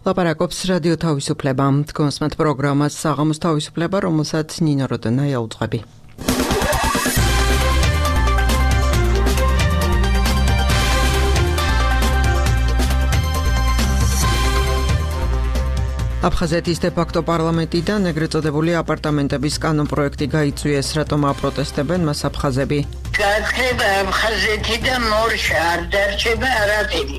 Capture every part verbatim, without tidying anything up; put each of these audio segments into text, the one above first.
ლაპარაკობს რადიო თავისუფლება. თქვენსმათ პროგრამას საღამოს თავისუფლება, რომელსაც ნინო როდონაია უძღვები. აფხაზეთის დე-ფაქტო პარლამენტიდან ეგრეთ წოდებული აპარტამენტების კანონპროექტი გაიწვიეს, რატომ აპროტესტებენ მას აფხაზები. გაცხება აფხაზეთიდან მორშა არ დარჩება არაფერი.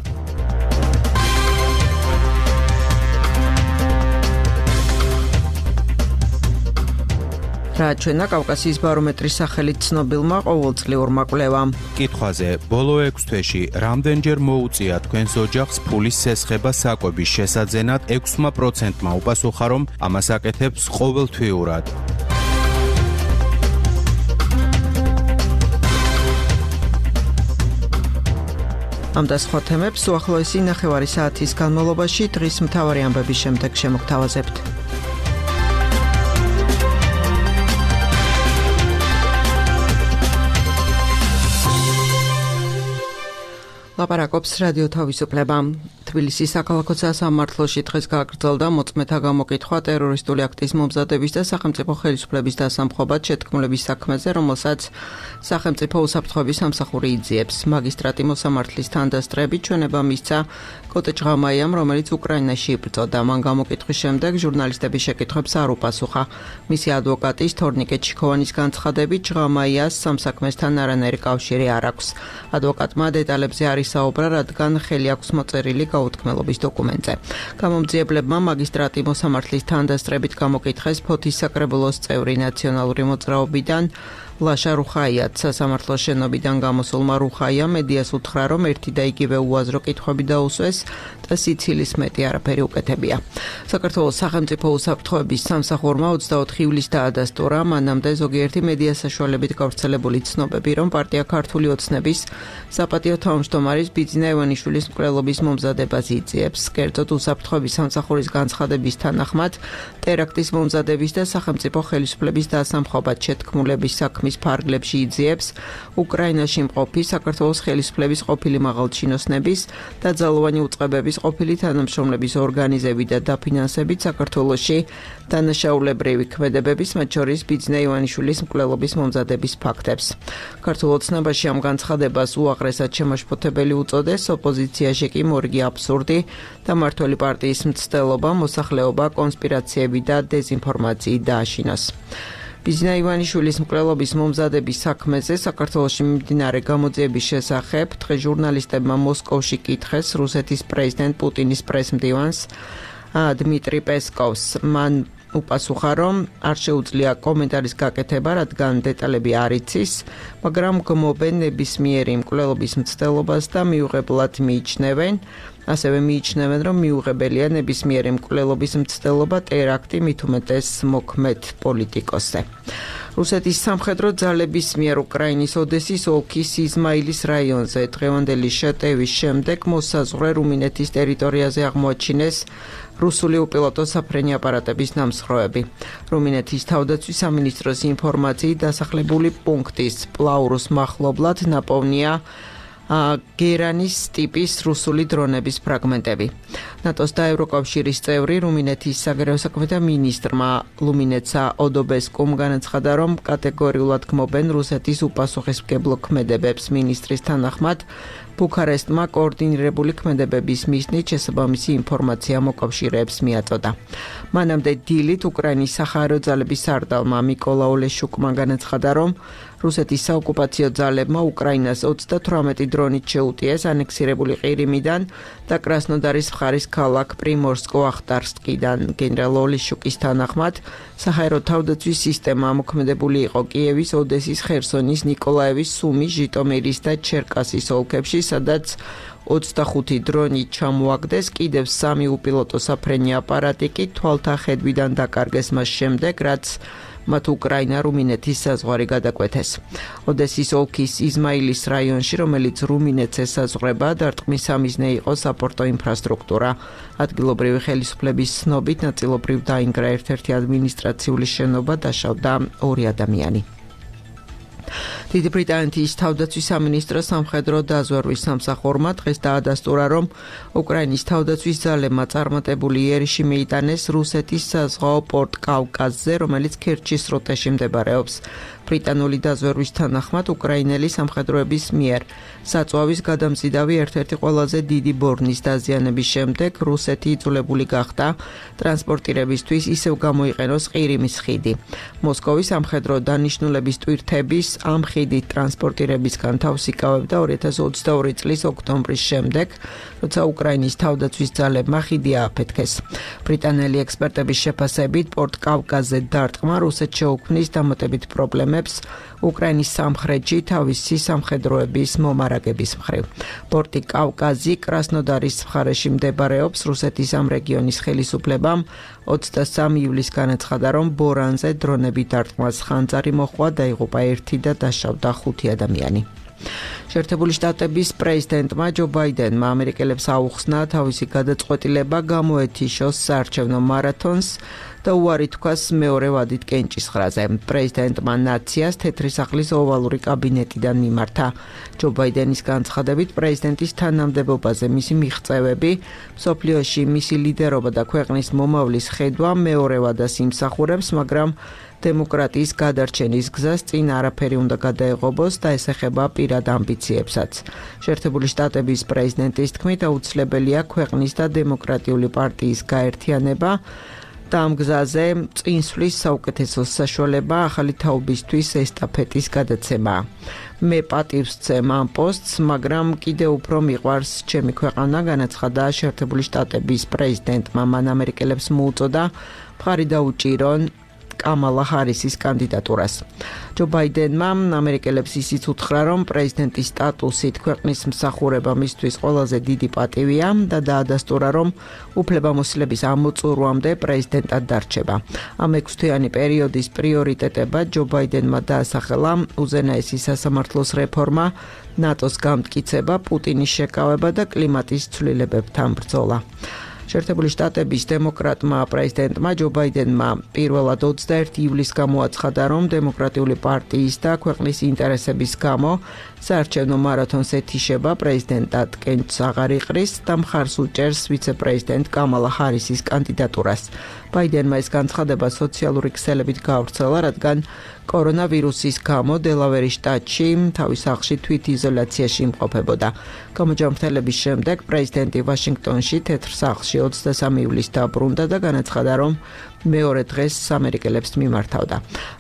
რა ჩვენა კავკასიის ბარომეტრის სახელით ცნობილმა ყოველწლიურმა კვლევამ. კითხვაზე, ბოლო ექვს თვეში რამდენჯერ მოუწია თქვენს ოჯახს ფულის სესხება საკვების შესაძენად ექვსი პროცენტმა უპასუხა, რომ ამას აკეთებს ყოველთვიურად. ამ და სხვა თემებს უახლოესი ნახევარი საათის განმავლობაში დღის მთავარი ამბების შემდეგ შემოგთავაზებთ. ლაპარაკობს რადიო თავისუფლება. თბილისის საქალაქო სასამართლოში დღეს გაგრძელდა მოწმეთა გამოკითხვა ტერორისტული აქტის მომზადების და სახელმწიფო ხელისუფლების დასამხობად შეთქმულების საქმეზე, რომელსაც სახელმწიფო უსაფრთხოების სამსახური იძიებს. მაგისტრატი მოსამართლის თანდასწრებით ჩვენება მისცა კოტე ჭღამაიამ, რომელიც უკრაინაში იბრძოდა. მან გამოკითხვის შემდეგ ჟურნალისტების შეკითხვებს არ უპასუხა. მისი ადვოკატის თორნიკე ჩიქოვანის განცხადებით, ჭღამაიას სამსაქმესთან არანაირი კავშირი არ აქვს. ადვოკატმა დეტალებზე არ ისაუბრა, რადგან ხელი აქვს მოწერილი გაუთქმელობის დოკუმენტზე. გამომძიებლებმა მაგისტრატი მოსამართლის თანდასწრებით გამოკითხეს ფოთის საკრებულოს წევრი ნაციონალური მოძრაობიდან ლაშა რუხაიათ. სასამართლოს შენობიდან გამოსულმა რუხაიამ მედიას უთხრა, რომ ერთი და იგივე უაზრო კითხვები დაუსვეს და სიცილის მეტი არაფერი უკეთებია. საქართველოს სახელმწიფო უსაფრთხოების სამსახურმა ოცდაოთხი ივლისს დაადასტურა, მანამდე ზოგიერთი მედია საშუალებით გავრცელებული ცნობები, რომ პარტია ქართული ოცნების საპატიო თავმჯდომარის ბიძინა ივანიშვილის მკვლელობის მომზადებას იძიებს. კერძოდ უსაფრთხოების სამსახურის განცხადების თანახმად, ტერაქტის მომზადების და სახელმწიფო ხელისუფლების დასამხობად შეთქმულების საქმის ფარგლებში იძიებს უკრაინაში მყოფი საქართველოს ხელისუფლების ყოფილი მაღალჩინოსნების და ძალოვანი უწყებების ყოფილი თანამშრომლების ორგანიზები და დაფინანსებით საქართველოში დანაშაულებრივი ქმედებების, მათ შორის ბიძინა ივანიშვილის მკვლელობის მომზადების ფაქტებს. ქართულ ოცნებაში ამ განცხადებას უაღრესად შემაშფოთებელი უწოდეს, ოპოზიციაში კი მორიგი აბსურდი და მმართველი პარტიის მცდელობა, მოსახლეობა, კონსპირაციები და დეზინფორმაციით დააშინოს. ბიძინა ივანიშვილის მკვლელობის მომზადების საქმეზე საქართველოში მიმდინარე გამოძიების შესახებ დღეს ჟურნალისტებმა მოსკოვში კითხეს რუსეთის პრეზიდენტ პუტინის პრესმდივანს დმიტრი პესკოვს. მან უპასუხა, რომ არ შეუძლია კომენტარის გაკეთება, რადგან დეტალები არ იცის, მაგრამ გმობენ ნებისმიერი მკვლელობის მცდელობას და მიუღებლად მიიჩნევენ, ასევე მიიჩნევენ, რომ მიუღებელია ნებისმიერი მკვლელობის მცდელობა, ტერაქტი, მით უმეტეს მოქმედ პოლიტიკოსზე. რუსეთის სამხედრო ძალების მიერ უკრაინის ოდესის ოლქის იზმაილის რაიონზე დღევანდელი შეტევის შემდეგ მოსაზღვრე რუმინეთის ტერიტორიაზე აღმოაჩინეს რუსული უპილოტო საფრენი აპარატების ნამსხვრევები. რუმინეთის თავდაცვის სამინისტროს ინფორმაციით დასახლებული პუნქტის პლაურუს მახლობლად ნაპოვნია გერანის ტიპის რუსული დრონების ფრაგმენტები. ნატოს და ევროკავშირის წევრი რუმინეთის საგარეო საქმეთა მინისტრმა ლუმინეცა ოდობესკუმ განაცხადა, რომ კატეგორიულად გმობენ რუსეთის უპასუხისმგებლო ქმედებებს. მინისტრის თანახმად, ბუქარესტმა კოორდინირებული ქმედებების მიზნით შესაბამისი ინფორმაცია მოკავშირეებს მიაწოდა. მანამდე დილით უკრაინის სახაერო ძალების სარდალმა მიკოლა ოლეშუკმა განაცხადა, რომ რუსეთის საოკუპაციო ძალებმა უკრაინას ოცდათვრამეტი დრონით შეუტიეს ანექსირებული ყირიმიდან და კრასნოდარის მხარის ქალაქ პრიმორსკო-ახტარსკიდან. გენერალ ოლეშუკის თანახმად, სახაერო თავდაცვის სისტემა ამოქმედებული იყო კიევის, ოდესის, ხერსონის, ნიკოლაევის, სუმის, ჟიტომირის და ჩერკასის ოლქებში, სადაც ოცდახუთი დრონი ჩამოაგდეს, კიდევ სამი უპილოტო საფრენი აპარატი კი თვალთა ხედვიდან დაკარგეს მას შემდეგ, რაც მათ უკრაინა რუმინეთის საზღვარი გადაკვეთეს. ოდესის ოლქის იზმაილის რაიონში, რომელიც რუმინეთს ესაზღვრება, დარტყმის სამიზნე იყო საპორტო ინფრასტრუქტურა. ადგილობრივი ხელისუფლების ცნობით ნაწილობრივ დაინგრა ერთ-ერთი ადმინისტრაციული შენობა, დაშავდა ორი ადამიანი. დიდი ბრიტანეთის თავდაცვის სამინისტრო სამხედრო დაზვერვის სამსახურმა დღეს დაადასტურა, რომ უკრაინის თავდაცვის ძალებმა წარმატებული იერიში მიიტანეს რუსეთის საზღვაო პორტ კავკაზზე, რომელიც ქერჩის სრუტეში მდებარეობს. ბრიტანული დაზვერვის თანახმად უკრაინელი სამხედროების მიერ საწვავის გადამზიდავი ერთ-ერთი ყველაზე დიდი ბორნის დაზიანების შემდეგ რუსეთი იძულებული გახდა ტრანსპორტირებისთვის ისევ გამოიყენოს ყირიმის ხიდი. მოსკოვის სამხედრო დანიშნულების ტვირთების ამ ხიდით ტრანსპორტირებისგან თავს იკავებდა ორი ათას ოცდაორი წლის ოქტომბრის შემდეგ, როცა უკრაინის თავდაცვის ძალებმა ხიდი ააფეთქეს. ბრიტანელი ექსპერტების შეფასებით პორტ კავკაზზე დარტყმა რუსეთს შეუქმნის დამატებით პრობლემებს უკრაინის სამხრეთში თავისი სამხედროების მომარაგების მხრივ. პორტი კავკაზი კრასნოდარის მხარეში მდებარეობს. რუსეთის ამ რეგიონის ხელისუფლებამ ოცდასამი ივლისს განაცხადა, რომ ბორანზე დრონები დარტყმას ხანძარი მოჰყვა, დაიღუპა ერთი და დაშავდა ხუთი ადამიანი. შეერთებული შტატების პრეზიდენტმა ჯო ბაიდენმა ამერიკელებს აუხსნა თავისი გადაწყვეტილება გამოეთიშოს საარჩევნო მარათონს და უარი თქვას მეორე ვადით კენჭისყრაზე. პრეზიდენტმა ნაციას თეთრი სახლის ოვალური კაბინეტიდან მიმართა. ჯო ბაიდენის განცხადებით პრეზიდენტის თანამდებობაზე მისი მიღწევები, მსოფლიოში მისი ლიდერობა და ქვეყნის მომავლის ხედვა მეორე ვადას იმსახურებს, მაგრამ დემოკრატიის გადარჩენის გზას წინ არაფერი უნდა გადაეღობოს და ეს ეხება პირად ამბიციებსაც. შეერთებული შტატების პრეზიდენტის თქმით, აუცილებელია ქვეყნის და დემოკრატიული პარტიის გაერთიანება და ამ გზაზე წინსვლის საუკეთესო საშუალება ახალი თაობისთვის ესტაფეტის გადაცემაა. მე პატივს ვცემ ამ პოსტს, მაგრამ კიდევ უფრო მიყვარს ჩემი ქვეყანა, განაცხადა შეერთებული შტატების პრეზიდენტმა. მან ამერიკელებს მოუწოდა მხარი დაუჭირონ კამალა ჰარისის კანდიდატურას. ჯო ბაიდენმა ამერიკელებს ისიც უთხრა, რომ პრეზიდენტის სტატუსით ქვეყნის მსახურება მისთვის ყველაზე დიდი პატივია და დაადასტურა, რომ უფლებამოსილების ამოწურვამდე პრეზიდენტად დარჩება. ამ ექვსთვიანი პერიოდის პრიორიტეტებად ჯო ბაიდენმა დაასახელა უზენაესი სასამართლოს რეფორმა, ნატოს გამტკიცება, პუტინის შეკავება და კლიმატის ცვლილებებთან ბრძოლა. შეერთებული შტატების დემოკრატმა პრეზიდენტმა ჯო ბაიდენმა პირველად ოცდაერთი ივლისს გამოაცხადა, რომ დემოკრატიული პარტიის და ქვეყნის ინტერესების გამო საარჩევნო მარათონს ეთიშება, პრეზიდენტად კენჭს აღარ იყრის და მხარს უჭერს ვიცე-პრეზიდენტ კამალა ჰარისის კანდიდატურას. ბაიდენმა ეს განცხადება სოციალური ქსელებით გაავრცელა, რადგან კორონავირუსის გამო დელავერის შტატში თავის სახლში თვითიზოლაციაში იმყოფებოდა. გამოჯანმრთელების შემდეგ პრეზიდენტი ვაშინგტონში თეთრ სახლში ოცდასამი ივლისს დაბრუნდა და განაცხადა, რომ მეორე დღეს ამერიკელებს მიმართავდა.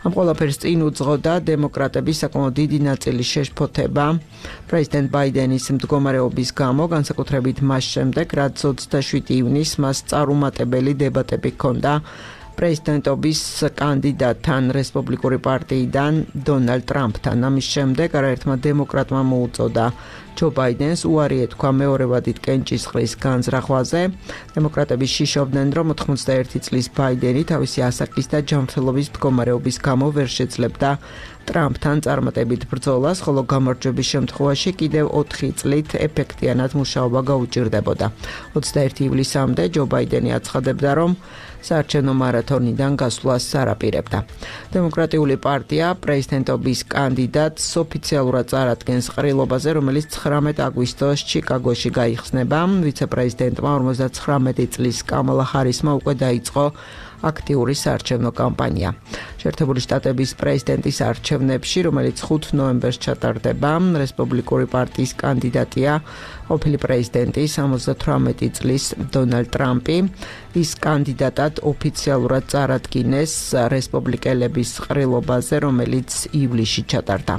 ამ ყველაფერს წინ უძღოდა დემოკრატების საკმაოდ დიდი ნაწილის შეშფოთება პრეზიდენტ ბაიდენის მდგომარეობის გამო, განსაკუთრებით მას შემდეგ, რაც ოცდაშვიდი ივნისს მას წარუმატებელი დებატები ჰქონდა პრეზიდენტობის კანდიდატთან რესპუბლიკური პარტიიდან დონალდ ტრამპთან. ამის შემდეგ არაერთმა დემოკრატმა მოუწოდა ჯო ბაიდენს უარი ეთქვა მეორე ვადით კენჭისყრის განზრახვაზე. დემოკრატები შიშობდნენ, რომ ოთხმოცდაერთი წლის ბაიდენი თავისი ასაკის და ჯანმრთელობის მდგომარეობის გამო ვერ შეძლებდა ტრამპთან წარმატებით ბრძოლას, ხოლო გამარჯვების შემთხვევაში კიდევ ოთხი წლით ეფექტიანად მუშაობა გაუჭირდებოდა. ოცდაერთი ივლისამდე ჯო ბაიდენი აცხადებდა, რომ საარჩევნო მარათონიდან გასვლას არაპირებდა. დემოკრატიული პარტია პრეზიდენტობის კანდიდატს ოფიციალურად წარადგენს ყრილობაზე, რომელიც ცხრამეტ აგვისტოს ჩიკაგოში გაიხსნება. ვიცე-პრეზიდენტმა ორმოცდაცხრამეტი წლის კამალა ჰარისმა უკვე დაიწყო აქტიური საარჩევნო კამპანია. შეერთებული შტატების პრეზიდენტის არჩევნებში, რომელიც ხუთ ნოემბერს ჩატარდება, რესპუბლიკური პარტიის კანდიდატია ყოფილი პრეზიდენტი სამოცდათვრამეტი წლის დონალდ ტრამპი. ის კანდიდატად ოფიციალურად წარადგინეს რესპუბლიკელების ყრილობაზე, რომელიც ივლისში ჩატარდა.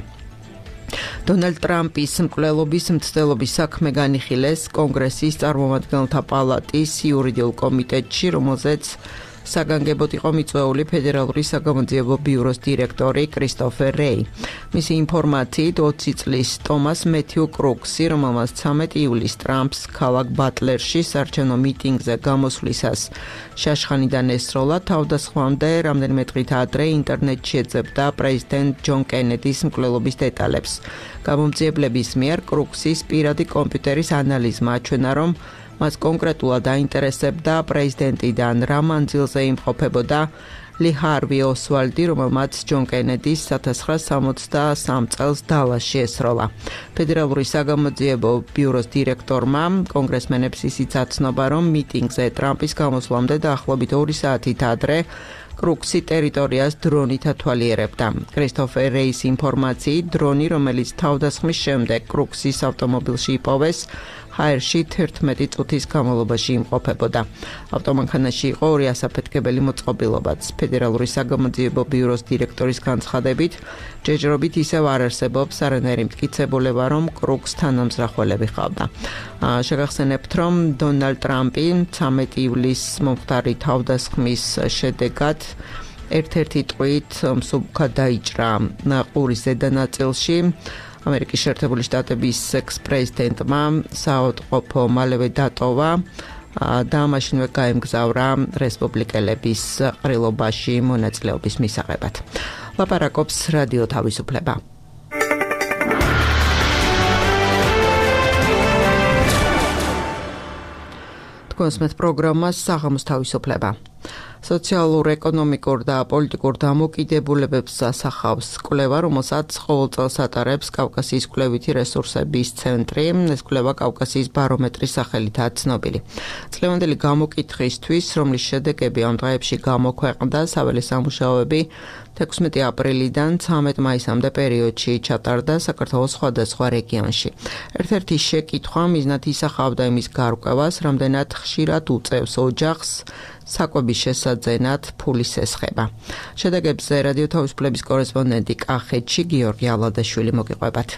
დონალდ ტრამპის მკვლელობის მცდელობის საქმე განიხილეს კონგრესის წარმომადგენელთა პალატის იურიდიულ კომიტეტში, რომელზეც საგანგებოდ იყო მიწვეული ფედერალური საგამოძიებო ბიუროს დირექტორი კრისტოფერ რეი. მისი ინფორმაციით ოცი წლის ტომას მეთიუ კრუქსი, რომელმაც ცამეტი ივლისს ტრამპს ქალაქ ბატლერში საარჩევნო მიტინგზე გამოსვლისას შაშხანიდან ესროლა, თავდასხმამდე რამდენიმე დღით ადრე ინტერნეტში ეძებდა პრეზიდენტ ჯონ კენედის მკვლელობის დეტალებს. გამომძიებლების მიერ კრუქსის პირადი კომპიუტერის ანალიზმა აჩვენა, რომ მას კონკრეტულად აინტერესებდა პრეზიდენტიდან რა მანძილზე იმყოფებოდა ლი ჰარვი ოსვალდი, რომელმაც ჯონ კენედის千九百სამოცდასამ წელს დალასში ესროლა. ფედერალური საგამოძიებო ბიუროს დირექტორმა კონგრესმენებს ისიც აცნობა, რომ მიტინგზე ტრამპის გამოსვლამდე დაახლოებით ორი საათით ადრე კრუქსი ტერიტორიას დრონით ათვალიერებდა. კრისტოფერ რეის ინფორმაციით, დრონი, რომელიც თავდასხმის შემდეგ კრუქსის ავტომობილში იპოვეს, ჰაერში თერთმეტი წუთის განმავლობაში იმყოფებოდა. ავტომანქანაში იყო ორი ასაფეთქებელი მოწყობილობაც. ფედერალური საგამოძიებო ბიუროს დირექტორის განცხადებით, ჯერჯერობით ისევ არ არსებობს არანაირი მტკიცებულება, რომ კრუგს თანამზრახველები ჰყავდა. შეგახსენებთ, რომ დონალდ ტრამპი ცამეტი ივლისს მომხდარი თავდასხმის შედეგად ერთ-ერთი ტყვით მსუბუქად დაიჭრა ყურის ზედა ნაწილში. ამერიკის შეერთებული შტატების ექს-პრეზიდენტმა საავადმყოფო მალევე დატოვა და მაშინვე გაემგზავრა რესპუბლიკელების ყრილობაში მონაწილეობის მისაღებად. ლაპარაკობს რადიო თავისუფლება. თქვენს პროგრამას საღამოს თავისუფლება. სოციალურ, ეკონომიკურ და პოლიტიკურ დამოკიდებულებებს ასახავს კვლევა, რომელსაც ყოველ წელს ატარებს კავკასიის კვლევითი რესურსების ცენტრი. ეს კვლევა კავკასიის ბარომეტრის სახელითაა ცნობილი. წლევანდელი გამოკითხვისთვის, რომლის შედეგები ამ დღეებში გამოქვეყნდა, საველე სამუშაოები თექვსმეტი აპრილიდან ცამეტ მაისამდე პერიოდში ჩატარდა საქართველოს სხვადასხვა რეგიონში. ერთ-ერთი შეკითხვა მიზნად ისახავდა იმის გარკვევას, რამდენად ხშირად უწევს ოჯახს საკვების შესაძენად ფულის ესხება. შედეგებზე რადიო თავისუფლების კორესპონდენტი კახეთში გიორგი ალადაშვილი მოგიყვებათ.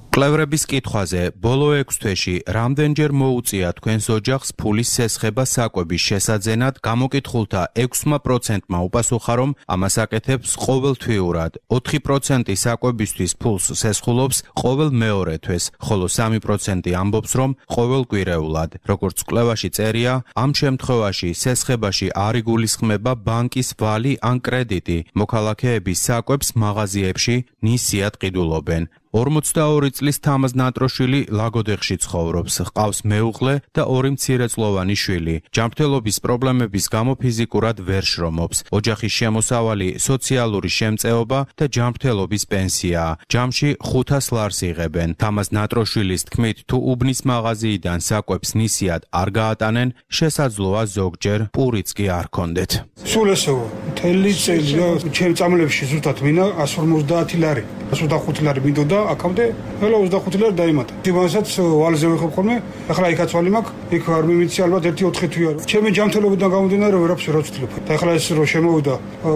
კვლევრების კითხვაზე ბოლო ექვს თვეში რამდენჯერ მოუწია თქვენს ოჯახს ფულის სესხება საკვების შესაძენად, გამოკითხულთა ექვსმა პროცენტმა უპასუხა, რომ ამას აკეთებს ყოველთვიურად. ოთხი პროცენტი საკვებისთვის ფულს სესხულობს ყოველ მეორე თვეს, ხოლო სამი პროცენტი ამბობს, რომ ყოველკვირეულად. როგორც კვლევაში წერია, ამ შემთხვევაში სესხებაში არ იგულისხმება ბანკის ვალი ან კრედიტი. მოქალაქეები საკვებს მაღაზიებში ნისიად ყიდულობენ. ორმოცდაორი წლის თამაზ ნატროშვილი ლაგოდეხში ცხოვრობს, ჰყავს მეუღლე და ორი მცირეწლოვანი შვილი. ჯანმრთელობის პრობლემების გამო ფიზიკურად ვერ შრომობს. ოჯახის შემოსავალი სოციალური შემწეობა და ჯანმრთელობის პენსიაა. ჯამში ხუთას ლარს იღებენ. თამაზ ნატროშვილის თქმით, თუ უბნის მაღაზიიდან საკვებს ნისიად არ გაატანენ, შესაძლოა ზოგჯერ პურიც კი არ ქონდეთ. სულ ესეო, მთელი წელი ჩემ წამლებში ზუსტად მინდა εκατს ორმოცდაათი ლარი. εκατს ოცდახუთი ლარი მინდოდა აქამდე, ყველა ოცდახუთი ლარი დაემატა. იმასაც ვალზე ვიხებ ხოლმე, ახლა იქაც ვალი მაქვს, იქ არ მიმიცი ალბათ ერთი ოთხი თვია. ჩემი ჯანმრთელობიდან გამომდინარე ვერაფერს ვერ ვცდილობ. და ახლა ეს რო შემოვიდა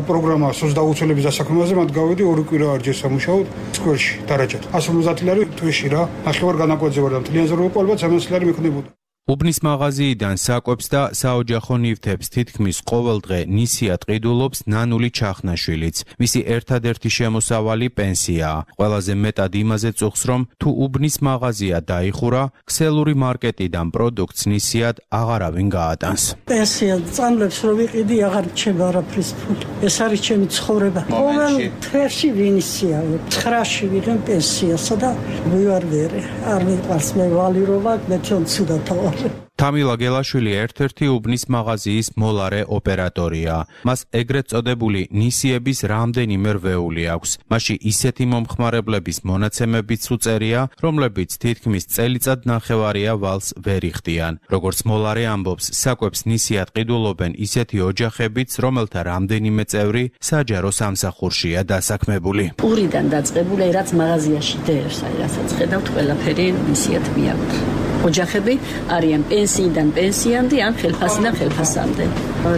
პროგრამა სოციალურების დასაქმებაზე, მათ გავედი ორი კვირა არ ჯერ სამუშაოდ სკვერში დარაჯად. εκατს ორმოცდაათი ლარი თვეში რა. ნახევარ განაკვეთზე ვარ და მთლიან ზრუნვა ალბათ სამოცი ლარი მექნებოდა. უბნის მაღაზიიდან საკვებს და საოჯახო ნივთებს თითქმის ყოველ დღე ნისიად ყიდულობს ნანული ჩახნაშვილიც. მისი ერთადერთი შემოსავალი პენსიაა. ყველაზე მეტად იმაზე წუხს, რომ თუ უბნის მაღაზია დაიხურა, ქსელური მარკეტიდან პროდუქტს ნისიად აღარავინ გაატანს. პენსია წამლებს რო ვიყიდი, აღარ რჩება არაფრის ფული. ეს არის ჩემი ცხოვრება. ყოველ თვეში ვინისია. ცხრაში ვიღებ პენსიასა და ვივარ ვერე. არ მიყვარს მე ვალი რო ვაკ, მე ჩვენ ცუდად თავ თამილა გელაშვილი ერთ-ერთი უბნის მაღაზიის მოლარე ოპერატორია. მას ეგრეთ წოდებული ნისიების რამდენიმე რვეული აქვს. მასში ისეთი მომხმარებლების მონაცემებიც უწერია, რომლებიც თითქმის წელიწად ნახევარია ვალს ვერ იხდიან. როგორც მოლარე ამბობს, საკვებს ნისიად ყიდულობენ ისეთი ოჯახებიც, რომელთა რამდენიმე წევრი საჯარო სამსახურშია დასაქმებული. პურიდან დაწყებული, რაც მაღაზიაში დევს, აი რასაც ხედავთ, ყველაფერი ნისიად მიაქვს. ოჯახები არიან პენსიიდან პენსიამდე ან ხელფასიდან ხელფასამდე.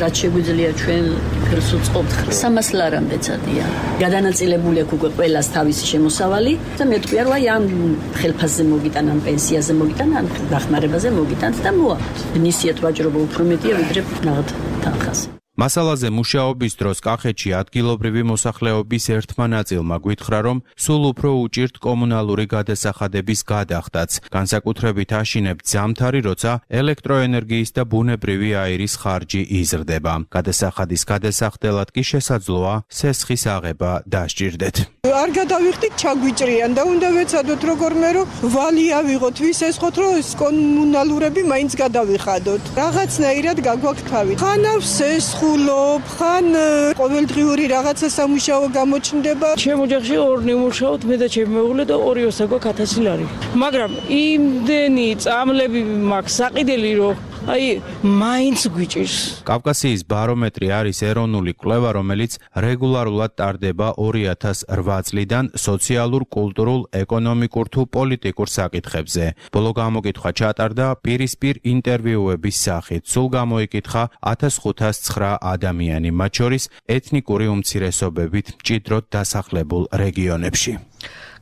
რაც შეგვიძლია ჩვენ ხელს უწყობთ სამას ლარამდე წადია. გადანაწილებული აქვს უკვე ყველას თავისი შემოსავალი და მე თქვია რომ აი ამ ხელფასზე მოგიტან, ამ პენსიაზე მოგიტან, ამ დახმარებაზე მოგიტანთ და მოაქვთ. ნისიად ვაჭრობა უფრო მეტია ვიდრე ნაღად თანხაზე. მასალაზე მუშაობის დროს კახეთში ადგილობრივი მოსახლეობის ერთმა ნაწილმა გვითხრა, რომ სულ უფრო უჭირთ კომუნალური გადასახადების გადახდაც, განსაკუთრებით აშინებთ ზამთარი, როცა ელექტროენერგიის და ბუნებრივი აირის ხარჯი იზრდება. გადასახადის გადასახდელად კი შესაძლოა სესხის აღება დასჭირდეთ. არ გადავიხდით, ჩაგვიჭრიან და უნდა ვეცადოთ როგორმე რომ ვალი ავიღოთ, ვის ესხოთ, რომ ეს კომუნალურები მაინც გადავიხადოთ. რაღაცნაირად გაგვაქვს თავი. ხანავს სესხ ვკითხულობ, ხან ყოველდღიური რაღაცა სამუშაო გამოჩნდება. ჩემ ოჯახში ორნი ვმუშაობთ, მე და ჩემი მეუღლე და ორი ოსა გვაქვს ათასი ლარი. მაგრამ იმდენი წამლები მაქვს საყიდელი, რომ აი მაინც გვიჭირს. კავკასიის ბარომეტრი არის ეროვნული კვლევა, რომელიც რეგულარულად ტარდება ორი ათას რვა წლიდან სოციალურ, კულტურულ, ეკონომიკურ თუ პოლიტიკურ საკითხებზე. ბოლო გამოკითხვა ჩატარდა პირისპირ ინტერვიუების სახით. სულ გამოიკითხა ათას ხუთას ცხრა ადამიანი, მათ შორის ეთნიკური უმცირესობებით მჭიდროდ დასახლებულ რეგიონებში.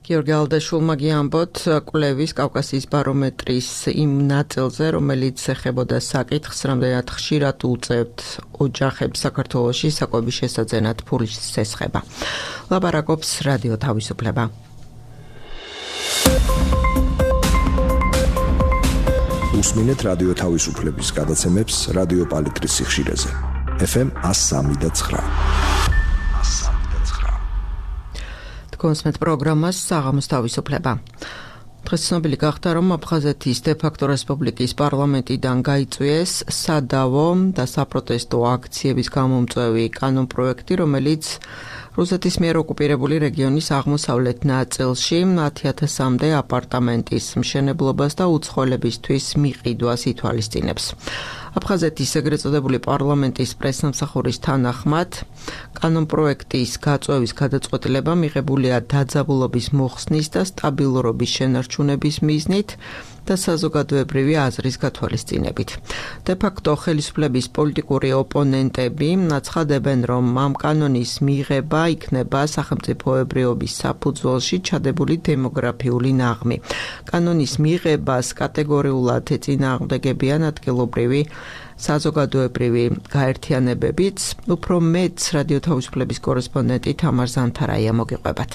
გიორგი ალდაშულმა გიამბოთ კვლევის კავკასიის ბარომეტრის იმ ნაწილზე, რომელიც ეხებოდა საკითხს, რამდენად ხშირად უწევთ ოჯახებს საქართველოში საკვების შესაძენად ფულის სესხება. ლაპარაკობს რადიო თავისუფლება. უსმინეთ რადიო თავისუფლების გადაცემებს რადიო პალიტრის სიხშირეზე. ეფ ემ one oh three point nine. კონსმეთ პროგრამას საღამოს თავისუფლება. დღეს ცნობილი გახდა, რომ აფხაზეთის დე-ფაქტო რესპუბლიკის პარლამენტიდან გაიწვიეს სადავო და საპროტესტო აქციების გამომწვევი კანონპროექტი, რომელიც რუსეთის მიერ ოკუპირებული რეგიონის აღმოსავლეთ ნაწილში ათი ათასამდე აპარტამენტის მშენებლობას და უცხოელებისთვის მიყიდვას ითვალისწინებს. აფხაზეთის ეგრეთ წოდებული პარლამენტის პრესსამსახურის თანახმად, კანონპროექტის გაწვევის გადაწყვეტილება მიღებულია დაძაბულობის მოხსნის და სტაბილურობის შენარჩუნების მიზნით და საზოგადოებრივი აზრის გათვალისწინებით. დე-ფაქტო ხელისუფლების პოლიტიკური ოპონენტები აცხადებენ, რომ ამ კანონის მიღება იქნება სახელმწიფოებრიობის საფუძველში ჩადებული დემოგრაფიული ნაღმი. კანონის მიღებას კატეგორიულად ეწინააღმდეგებიან ადგილობრივი საზოგადოებრივი გაერთიანებებიც. უფრო მეტს რადიო თავისუფლების კორესპონდენტი თამარ ზანთარაია მოგიყვებათ.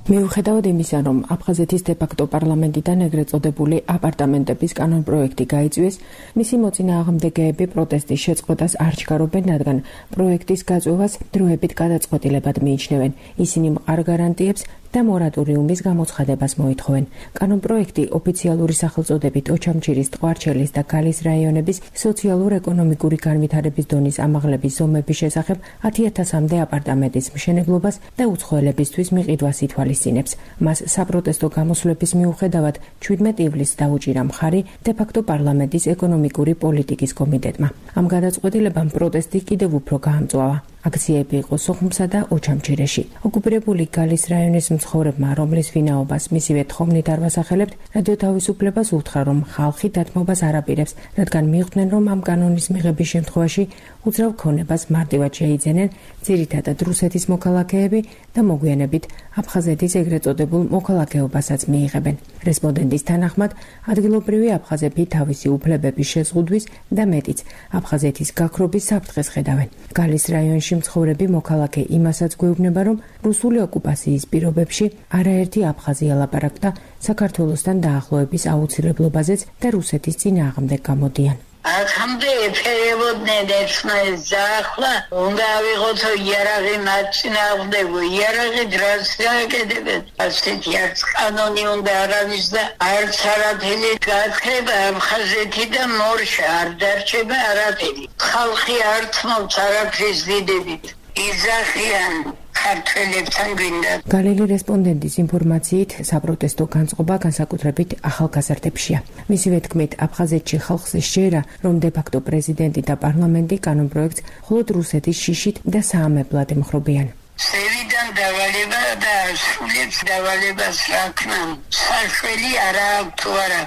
მიუხედავად იმისა, რომ აფხაზეთის დე-ფაქტო პარლამენტიდან ეგრეთ წოდებული აპარტამენტების კანონპროექტი გაიწვიეს, მისი მოწინააღმდეგეები პროტესტის შეწყვეტას არ ჩქარობენ, რადგან პროექტის გაწვევას დროებით გადაწყვეტილებად მიიჩნევენ. ისინი მყარ გარანტიებს და მორატორიუმის გამოცხადებას მოითხოვენ. კანონპროექტი ოფიციალური სახელწოდებით ოჩამჩირის, ტყვარჩელის და გალის რაიონების სოციალურ-ეკონომიკური განვითარების დონის ამაღლების ზომების შესახებ ათი ათასამდე აპარტამენტის მშენებლობას და უცხოელებისთვის მიყიდვას ითვალისწინებს. მას საპროტესტო გამოსვლების მიუხედავად ჩვიდმეტ ივლისს დაუჭირა მხარი დე-ფაქტო პარლამენტის ეკონომიკური პოლიტიკის კომიტეტმა. ამ გადაწყვეტილებამ პროტესტი კიდევ უფრო გაამწვავა. აქციები იყო სოხუმსა და ოჩამჩირეში. ოკუპირებული გალის რაიონის მცხოვრებმა, რომლის ვინაობას მისივე თხოვნით არ ვასახელებთ, რადიო თავისუფლებას უთხრა, რომ ხალხი დათმობას არ აპირებს, რადგან მიხვდნენ, რომ ამ კანონის მიღების შემთხვევაში უძრავ ქონებას მარტივად შეიძენენ ძირითადად რუსეთის მოქალაქეები და მოგვიანებით აფხაზეთის ეგრეთ წოდებულ მოქალაქეობასაც მიიღებენ. რესპონდენტის თანახმად, ადგილობრივი აფხაზები თავისი უფლებების შეზღუდვის და მეტიც აფხაზეთის გაქრობის საფრთხეს ხედავენ. გალის რაიონში მცხოვრები მოქალაქე იმასაც გვეუბნება, რომ რუსული ოკუპაციის პირობებში არაერთი აფხაზი ელაპარაკდა საქართველოსთან დაახლოების აუცილებლობაზეც და რუსეთის წინააღმდეგ გამოდიან. აქამდე ეფერებოდნენ ერთმანეთს დაახლა, უნდა ავიღოთო იარაღი მათ წინააღმდეგო, იარაღი დრას გააკეთებენ. ასეთი არც კანონი უნდა არავის და არც არაფერი გაქრება აფხაზეთიდან მორშა არ დარჩება არაფერი. ხალხი არ თმობს არაფრის დიდებით. იზახიან ქართველებთან გვინდა. გალილი რესპონდენტის ინფორმაციით, საპროტესტო განწყობა განსაკუთრებით ახალგაზრდებშია. მისივე თქმით, აფხაზეთში ხალხს შეერა, რომ დე-ფაქტო პრეზიდენტი და პარლამენტი კანონპროექტს მხოლოდ რუსეთის შიშით და საამებლად ემხრობიან. სევიდან დავალება და სულებს დავალებას რაქნან. საშველი არა აქვს თუ არა.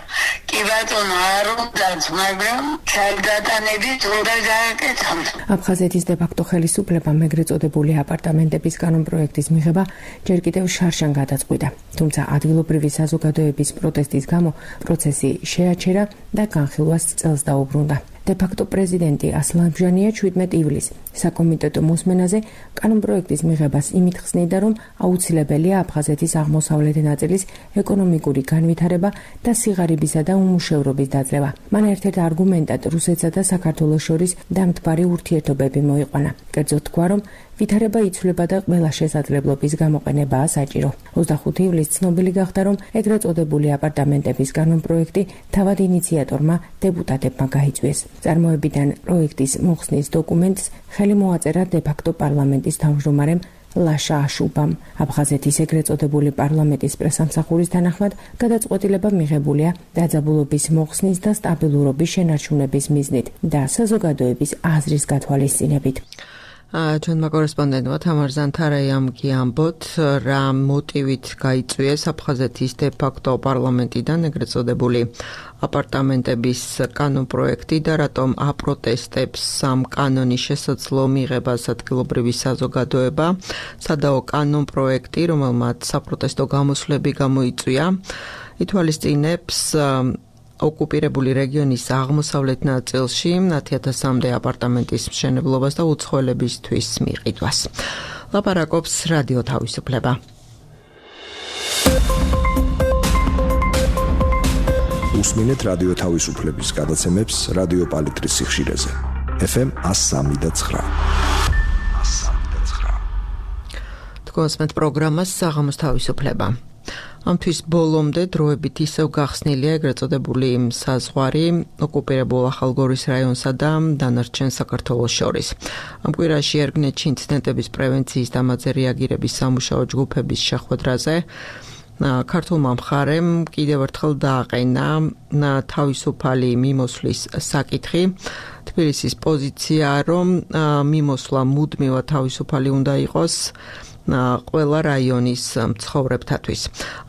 კი ბატონო, არ უნდათ, მაგრამ ჩალდატანებით უნდა გააკეთონ. აფხაზეთის დე-ფაქტო ხელისუფლებამ ეგრეთ წოდებული აპარტამენტების კანონპროექტის მიღება ჯერ კიდევ შარშან გადაწყვიტა. თუმცა ადგილობრივი საზოგადოების პროტესტის გამო პროცესი შეაჩერა და განხილვას წელს დაუბრუნდა. დე-ფაქტო პრეზიდენტი ასლან ბჟანია ჩვიდმეტ ივლისს საკომიტეტო მოსმენაზე კანონპროექტის მიღებას იმით ხსნიდა, რომ აუცილებელია აფხაზეთის აღმოსავლეთ ნაწილის ეკონომიკური განვითარება და სიღარიბისა და უმუშევრობის დაძლევა. მან ერთ-ერთ არგუმენტად რუსეთსა და საქართველოს შორის დამთბარი ურთიერთობები მოიყვანა. კერძოდ თქვა, რომ ვითარება იცვლება და ყველა შესაძლებლობის გამოყენებაა საჭირო. ოცდახუთი ივლისს ცნობილი გახდა, რომ ეგრეთ წოდებული აპარტამენტების კანონპროექტი თავად ინიციატორმა დეპუტატებმა გაიწვიეს. წარმოებიდან პროექტის მოხსნის დოკუმენტს ხელი მოაწერა დე-ფაქტო პარლამენტის თავმჯდომარემ ლაშა აშუბამ. აფხაზეთის ეგრეთ წოდებული პარლამენტის პრესამსახურის თანახმად, გადაწყვეტილება მიღებულია დაძაბულობის მოხსნის და სტაბილურობის შენარჩუნების მიზნით და საზოგადოების აზრის გათვალისწინებით. ჩვენმა კორესპონდენტმა თამარ ზანთარაიამ გიამბოთ, რა მოტივით გაიწვიეს აფხაზეთის დე-ფაქტო პარლამენტიდან ეგრეთ წოდებული აპარტამენტების კანონპროექტი და რატომ აპროტესტებს ამ კანონის შესაძლო მიღებას ადგილობრივი საზოგადოება. სადაო კანონპროექტი, რომელმაც საპროტესტო გამოსვლები გამოიწვია, ითვალისწინებს ოკუპირებული რეგიონის აღმოსავლეთ ნაწილში ათი ათასამდე აპარტამენტის მშენებლობას და უცხოელებისთვის მიყიდვას. ლაპარაკობს რადიო თავისუფლება. უსმინეთ რადიო თავისუფლების გადაცემებს რადიო პალიტრის სიხშირეზე. ეფ ემ one oh three და nine. თქვენს პროგრამას საღამოს თავისუფლება. ამთვის ბოლომდე დროებით ისევ გახსნილია ეგრეთ წოდებული საზღვარი ოკუპირებულ ახალგორის რაიონსა და დანარჩენ საქართველოს შორის. ამ კვირაში ერგნეთში ინციდენტების პრევენციის და მათზე რეაგირების სამუშაო ჯგუფების შეხვედრაზე ქართულმა მხარემ კიდევ ერთხელ დააყენა თავისუფალი მიმოსვლის საკითხი. თბილისის პოზიცია, რომ მიმოსვლა მუდმივად თავისუფალი უნდა იყოს ყველა რაიონის მცხოვრებთათვის.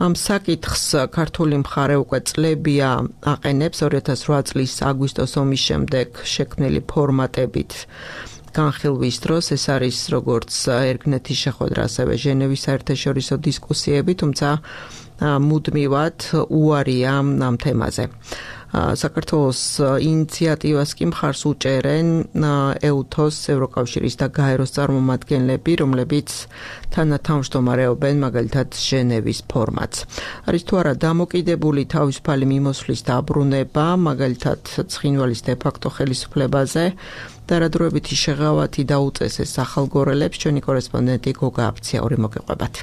ამ საკითხს ქართული მხარე უკვე წლებია აყენებს ორი ათას რვა წლის აგვისტოს ომის შემდეგ შექმნილი ფორმატებით. განხილვის დროს ეს არის როგორც ერგნეთის შეხვედრა, ასევე ჟენევის საერთაშორისო დისკუსიები, თუმცა მუდმივად უარია ამ თემაზე. საქართველოს ინიციატივას კი მხარს უჭერენ ეუთოს, ევროკავშირის და გაეროს წარმომადგენლები, რომლებიც თანათავმჯდომარეობენ მაგალითად ჟენევის ფორმატს. არის თუ არა დამოკიდებული თავისუფალი მიმოსვლის დაბრუნება, მაგალითად ცხინვალის დე-ფაქტო ხელისუფლებაზე და რა დროებითი შეღავათი დაუწესეს ახალგორელებს, ჩვენი კორესპონდენტი გოგა აფციური მოგიყვებათ.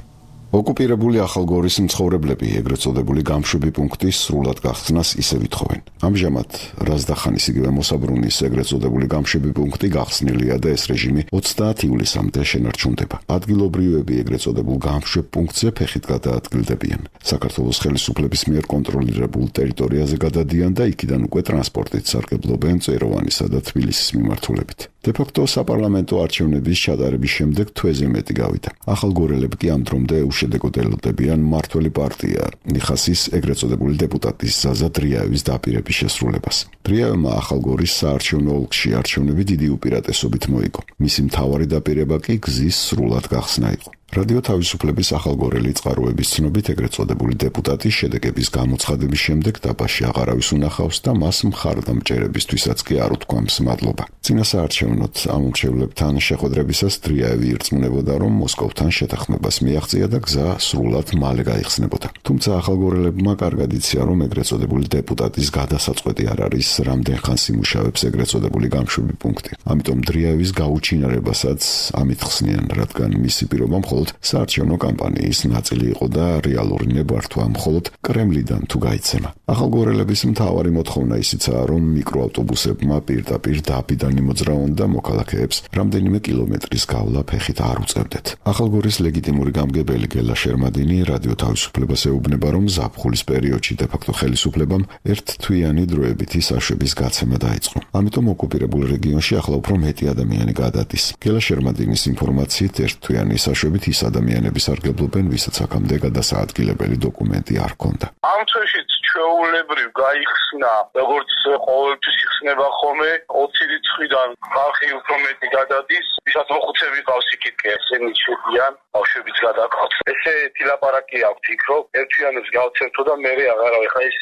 ოკუპირებული ახალგორის მცხოვრებლები ეგრეთ წოდებული გამშვები პუნქტის სრულად გახსნას ისე ვითხოვენ. ამჟამად რაზდახანის იგივე მოსაბრუნის ეგრეთ წოდებული გამშვები პუნქტი გახსნილია და ეს რეჟიმი ოცდაათი ივლისამდე შენარჩუნდება. ადგილობრივები ეგრეთ წოდებულ გამშვებ პუნქტზე ფეხით გადაადგილდებიან. საქართველოს ხელისუფლების მიერ კონტროლირებულ ტერიტორიაზე გადადიან და იქიდან უკვე ტრანსპორტით სარგებლობენ წეროვანისა და თბილისის მიმართულებით. დე-ფაქტო საპარლამენტო არჩევნების ჩატარების შემდეგ თვეზე მეტი გავიდა. ახალგორელები კი ამ დრომდე უშედეგოდ ელოდებიან მმართველი პარტია ნიხასის ეგრეთ წოდებული დეპუტატის ზაზა დრიაევის დაპირების შესრულებას. დრიაევმა ახალგორის საარჩევნო ოლქში არჩევნები დიდი უპირატესობით მოიგო. მისი მთავარი დაპირება კი გზის სრულად გახსნა იყო. რადიო თავისუფლების ახალგორელი წყაროების ცნობით ეგრეთ წოდებული დეპუტატი შედეგების გამოცხადების შემდეგ დაბაში აღარავის უნახავს და მას მხარდამჭერებისთვისაც კი არ უთქვამს მადლობა. წინასაარჩევნოთ ამ მრჩევლებთან შეხვედრებისას დრიაევი ირწმუნებოდა, რომ მოსკოვთან შეთანხმებას მიაღწია და გზა სრულად მალე გაიხსნებოდა. თუმცა ახალგორელებმა კარგად იციან, რომ ეგრეთ წოდებული დეპუტატის გადასაწყვეტი არ არის რამდენ ხანს იმუშავებს ეგრეთ წოდებული გამშვები პუნქტი. ამიტომ დრიაევის გაუჩინარებასაც ამით ხსნიან, რადგან მისი პირობა საარჩევნო კამპანიის ნაწილი იყო და რეალური ნებართვა მხოლოდ კრემლიდან თუ გაიცემა. ახალგორელების მთავარი მოთხოვნა ისიცაა, რომ მიკროავტობუსებმა პირდაპირ დაბიდან იმოძრავონ და მოქალაქეებს რამდენიმე კილომეტრის გავლა ფეხით არ უწევდეთ. ახალგორის ლეგიტიმური გამგებელი გელა შერმადინი რადიო თავისუფლებას ეუბნება, რომ ზაფხულის პერიოდში დე-ფაქტო ხელისუფლებამ ერთთვიანი დროებითი საშვების გაცემა დაიწყო. ამიტომ ოკუპირებულ რეგიონში ახლა უფრო მეტი ადამიანი გადადის. გელა შერმადინის ინფორმაციით ერთთვიანი საშვებით ის ადამიანები სარგებლობენ, ვისაც აქამდე გადასაადგილებელი დოკუმენტი არ ჰქონდა. ამ თვეშიც ჩვეულებრივ გაიხსნა, როგორც ყოველთვის იხსნება ხოლმე, ოცი რიცხვიდან ხალხი უფრო მეტი გადადის, ვისაც მოხუცები ყავს იქით კი ესენი შედიან, ბავშვებიც გადაყავთ. ესეთი ლაპარაკი აქვს იქ, რომ ერთთვიანებს გავცემთო და მე აღარავე ხა ის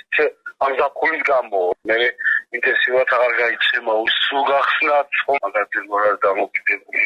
ამ ზაფხულის გამო მე ინტენსიურად აღარ გაიცემა სულ გახსნათ მაგალითად მორალ დამოკიდებული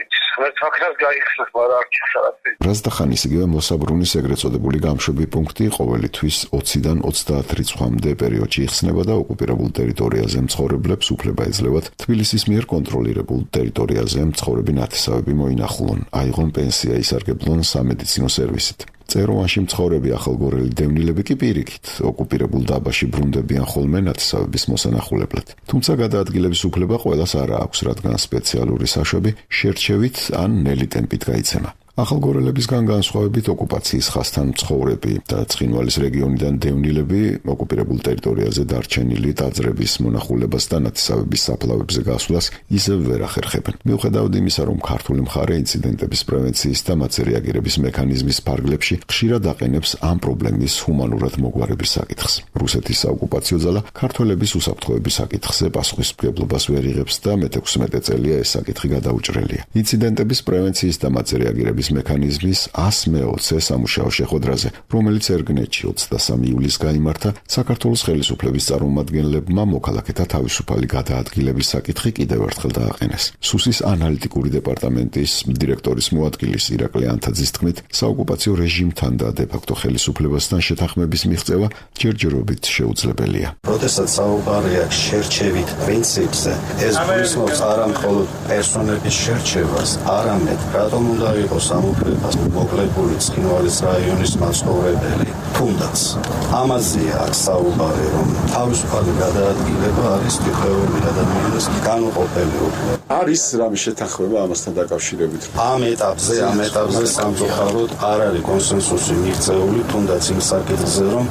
ეს ფაქტად გაიხსნა მაგრამ არ ჩასარაფი რაზდახანის იგივე მოსაბრუნის ეგრეთ წოდებული გამშვები პუნქტი ყოველი თვის ოციდან ოცდაათ რიცხვამდე პერიოდში იხსნება და ოკუპირებულ ტერიტორიაზე მცხოვრებლებს უფლება ეძლევათ თბილისის მიერ კონტროლირებულ ტერიტორიაზე მცხოვრები ნათესავები მოინახულონ, აიღონ პენსია, ისარგებლონ სამედიცინო სერვისით. წეროვანში მცხოვრები ახალგორელი დევნილები კი პირიქით ოკუპირებულ დაბაში ბრუნდებიან ხოლმე ნათესავების მოსანახულებლად. თუმცა გადაადგილების უფლება ყველას არ აქვს, რადგან სპეციალური საშვები შერჩევით ან ნელი ტემპით გაიცემა. ახალგორელებისგან განსხვავებით ოკუპაციის ხასთან მცხოვრები და ცხინვალის რეგიონიდან დევნილები ოკუპირებულ ტერიტორიაზე დარჩენილი ტაძრების მონახულებას და ნათესავების საფლავებზე გასვლას ისევ ვერ ახერხებენ. მიუხედავად იმისა, რომ ქართული მხარე ინციდენტების პრევენციის და მათზე რეაგირების მექანიზმის ფარგლებში ხშირად აყენებს ამ პრობლემის ჰუმანურად მოგვარების საკითხს. რუსეთის საოკუპაციო ძალა ქართველების უსაფრთხოების საკითხზე პასუხისმგებლობას ვერ იღებს და მეთექვსმეტე წელია ეს საკითხი გადაუჭრელია. ინციდენტების პრევენციის და მათზე რეაგირების მექანიზმის ას მეოცე სამუშაო შეხვედრაზე, რომელიც ერგნეთში ოცდამესამე ივლისს გაიმართა, საქართველოს ხელისუფლების წარმომადგენლებმა მოქალაქეთა თავისუფალი გადაადგილების საკითხი კიდევ ერთხელ დააყენეს. სუსის ანალიტიკური დეპარტამენტის დირექტორის მოადგილის ირაკლი ანთაძის თქმით, საოკუპაციო რეჟიმთან და დე-ფაქტო ხელისუფლებასთან შეთანხმების მიღწევა ჯერჯერობით შეუძლებელია. როდესაც საუბარია შერჩევით პრინციპზე, ეს გულისხმობს არა მხოლოდ პერსონების შერჩევას, არამედ რატომ უნდა იყოს სამუფლებას მოკლებული ცხინვალის რაიონის მაცხოვრებელი. თუნდაც ამაზეა საუბარი, რომ თავისუფალი გადაადგილება არის თითოეული ადამიანის განუყოფელი უფლება. არის რამე შეთანხმება ამასთან დაკავშირებით? ამ ეტაპზე, ამ ეტაპზე სამწუხაროდ არ არის კონსენსუსი მიღწეული, თუნდაც იმ საკითხზე, რომ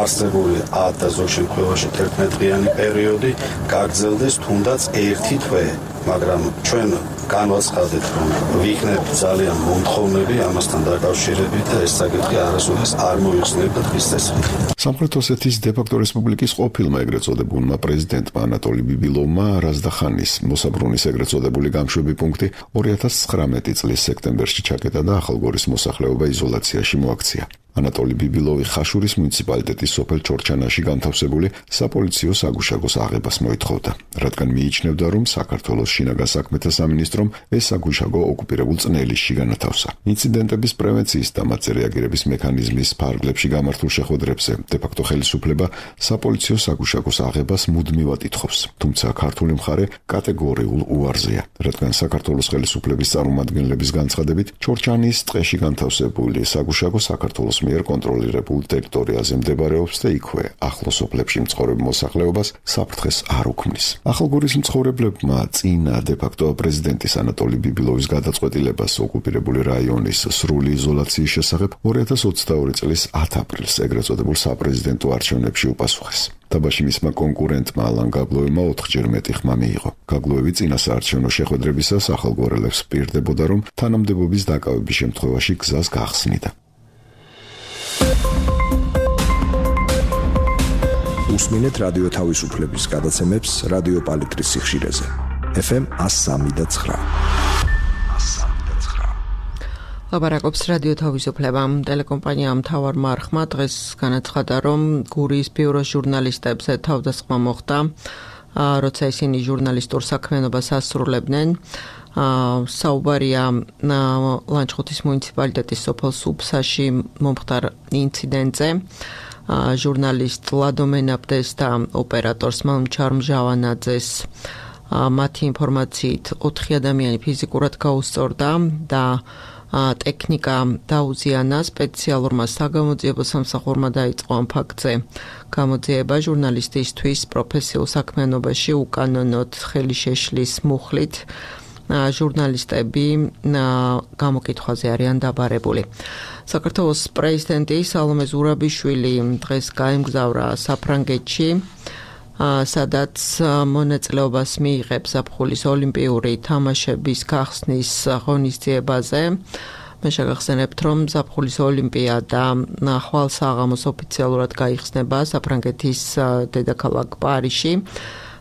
არსებული ათ და ზოგ შემთხვევაში თერთმეტ-დღიანი პერიოდი გაგრძელდეს თუნდაც ერთი თვე, მაგრამ ჩვენ განვაცხადეთ, რომ ვიქნებთ ძალიან მომთხოვნები ამასთან დაკავშირებით და ეს საკითხი არასოდეს არ მოიხსნებოდა დღის წესრიგით. სამხრეთ ოსეთის დე-ფაქტო რესპუბლიკის ყოფილმა ეგრეთ წოდებულმა პრეზიდენტმა ანატოლი ბიბილოვმა რაზდახანის მოსაბრუნის ეგრეთ წოდებული გამშვები პუნქტი ორი ათას ცხრამეტი წლის სექტემბერში ჩაკეტა და ახალგორის მოსახლეობა იზოლაციაში მოაქცია. ანატოლი ბიბილოვი ხაშურის მუნიციპალიტეტის სოფელ ჩორჩანაში განთავსებული საპოლიციო საგუშაგოს აღებას მოითხოვდა, რადგან მიიჩნევდა, რომ საქართველოს შინაგან საქმეთა სამინისტრომ ეს საგუშაგო ოკუპირებულ წნელისში განათავსა. ინციდენტების პრევენციის და მათზე რეაგირების მექანიზმის ფარგლებში გამართულ შეხვედრებზე დე-ფაქტო ხელისუფლება საპოლიციო საგუშაგოს აღებას მუდმივად ითხოვს, თუმცა ქართული მხარე კატეგორიულ უარზეა, რადგან საქართველოს ხელისუფლების წარმომადგენლების განცხადებით ჩორჩანის ტყეში განთავსებული საგუშაგო საქართველოს მიერ კონტროლირებულ ტერიტორიაზე მდებარეობს და იქვე ახლო სოფლებში მცხოვრებ მოსახლეობას საფრთხეს არ უქმნის. ახალგორის მცხოვრებლებმა წინა დე-ფაქტო პრეზიდენტის ანატოლი ბიბილოვის გადაწყვეტილებას ოკუპირებული რაიონის სრული იზოლაციის შესახებ ორი ათას ოცდაორი წლის ათ აპრილს ეგრეთ წოდებულ საპრეზიდენტო არჩევნებში უპასუხეს. დაბაში მისმა კონკურენტმა ალან გაგლოევმა ოთხჯერ მეტი ხმა მიიღო. გაგლოევი წინა საარჩევნო შეხვედრებისას ახალგორელებს პირდებოდა, რომ თანამდებობის დაკავების შემთხვევაში გზას გახსნიდა. უსმინეთ რადიო თავისუფლების გადაცემებს რადიო პალიტრის სიხშირეზე. ეფ ემ ათს სამი და ცხრა. ლაპარაკობს რადიო თავისუფლება. ტელეკომპანია მთავარმა არხმა დღეს განაცხადა, რომ გურიის ბიუროს ჟურნალისტებზე თავდასხმა მოხდა, როცა ისინი ჟურნალისტურ საქმიანობას ასრულებდნენ. საუბარია ლანჩხუთის მუნიციპალიტეტის სოფელ სუფსაში მომხდარ ინციდენტზე. ჟურნალისტ ლადო მენაბდეს და ოპერატორს მალმჩარ მჟავანაძეს მათი ინფორმაციით ოთხი ადამიანი ფიზიკურად გაუსწორდა და ტექნიკა დაუზიანა. სპეციალურმა საგამოძიებო სამსახურმა დაიწყო ამ ფაქტზე გამოძიება ჟურნალისტისთვის პროფესიულ საქმიანობაში უკანონოდ ხელი შეშლის მუხლით ჟურნალისტები გამოკითხვაზე არიან დაბარებული. საქართველოს პრეზიდენტი სალომე ზურაბიშვილი დღეს გაემგზავრა საფრანგეთში, სადაც მონაწილეობას მიიღებს ზაფხულის ოლიმპიური თამაშების გახსნის ღონისძიებაზე. მე შეგახსენებთ, რომ ზაფხულის ოლიმპიადა ხვალ საღამოს ოფიციალურად გაიხსნება საფრანგეთის დედაქალაქ პარიზში.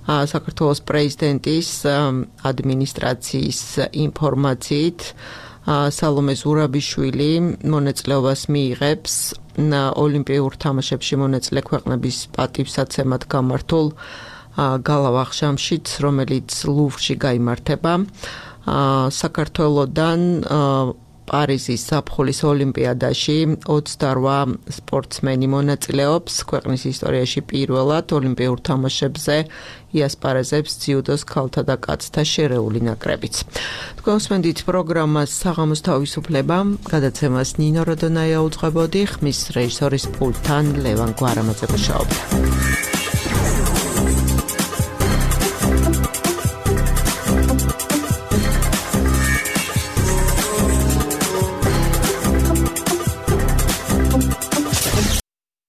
საქართველოს პრეზიდენტის ადმინისტრაციის ინფორმაციით სალომე ზურაბიშვილი მონაწილეობას მიიღებს ოლიმპიურ თამაშებში მონაწილე ქვეყნების პატივსაცემად გამართულ გალა ვახშამშიც, რომელიც ლუვრში გაიმართება. საქართველოდან პარიზის ზაფხულის ოლიმპიადაში ოცდაოთხ სპორტსმენი მონაწილეობს. ქვეყნის ისტორიაში პირველად ოლიმპიურ თამაშებზე იასპარეზებს ძიუდოს ქალთა და კაცთა შერეული ნაკრებიც. თქვენ უსმენთ პროგრამას საღამოს თავისუფლება, გადაცემას ნინო როდონაია უძღვებოდი, ხმის რეჟისორის პულტთან ლევან გვარამაძე მუშაობდა.